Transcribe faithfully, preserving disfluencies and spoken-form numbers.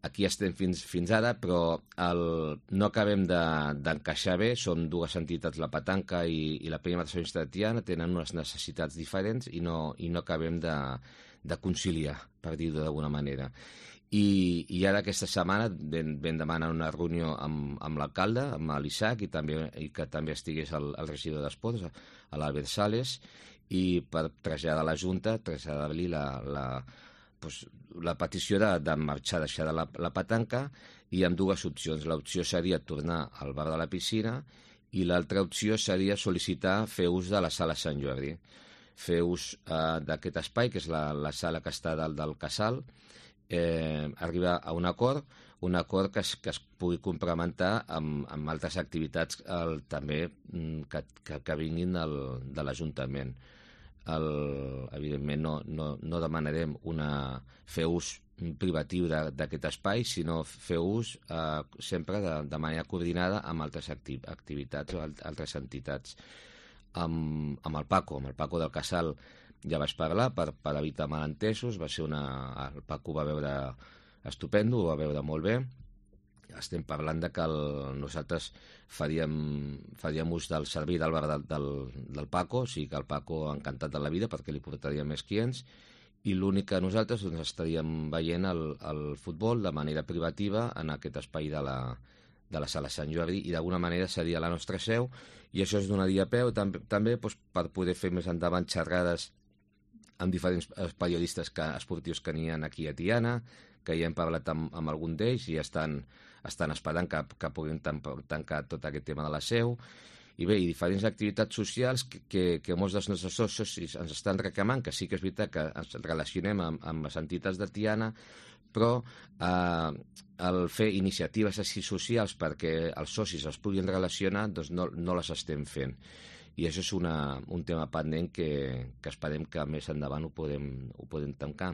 aquí estem fins, fins ara, però el, no acabem d'encaixar de, bé. Som dues entitats, la Petanca i, i la Penya Mateixonista de Tiana, tenen unes necessitats diferents i no, i no acabem de, de conciliar, per dir-ho d'alguna manera. I, i ara aquesta setmana vam, vam demanar una reunió amb, amb l'alcalde, amb l'Isaac, i, també, i que també estigués el, el regidor d'Esports, l'Albert Sales, i per traslladar a la Junta, traslladar-li la, la, doncs, la petició de, de marxar, deixar de la, la petanca, i amb dues opcions. L'opció seria tornar al bar de la piscina i l'altra opció seria sol·licitar fer ús de la sala Sant Jordi. Fer ús eh, d'aquest espai, que és la, la sala que està dalt del casal, eh, arribar a un acord, un acord que es, que es pugui complementar amb, amb altres activitats el, també que, que, que vinguin del, de l'Ajuntament. El, evidentment no, no, no demanarem una, fer ús privatiu d'aquest espai, sinó fer ús eh, sempre de, de manera coordinada amb altres acti activitats o altres entitats. Amb, amb el Paco, amb el Paco del Casal ja vaig parlar per, per evitar malentesos. Va ser una... El Paco va veure estupendo, ho va veure molt bé. Estem parlant de que el, nosaltres faríem, faríem ús del servei del bar del, del, del Paco, o sigui que el Paco encantat de la vida perquè li portaria més clients, i l'únic que nosaltres doncs, estaríem veient el, el futbol de manera privativa en aquest espai de la, de la sala Sant Jordi, i d'alguna manera seria la nostra seu, i això es donaria peu també, també doncs, per poder fer més endavant xerrades amb diferents periodistes que, esportius que n'hi ha aquí a Tiana, que ja hem parlat amb, amb algun d'ells i estan, estan esperant que, que puguin tancar tot aquest tema de la seu. I bé, i diferents activitats socials que, que, que molts dels nostres socis ens estan reclamant, que sí que és veritat que ens relacionem amb, amb les entitats de Tiana, però eh, el fer iniciatives així socials perquè els socis es puguin relacionar, doncs no, no les estem fent. I això és una, un tema pendent que, que esperem que més endavant ho podem, ho podem tancar.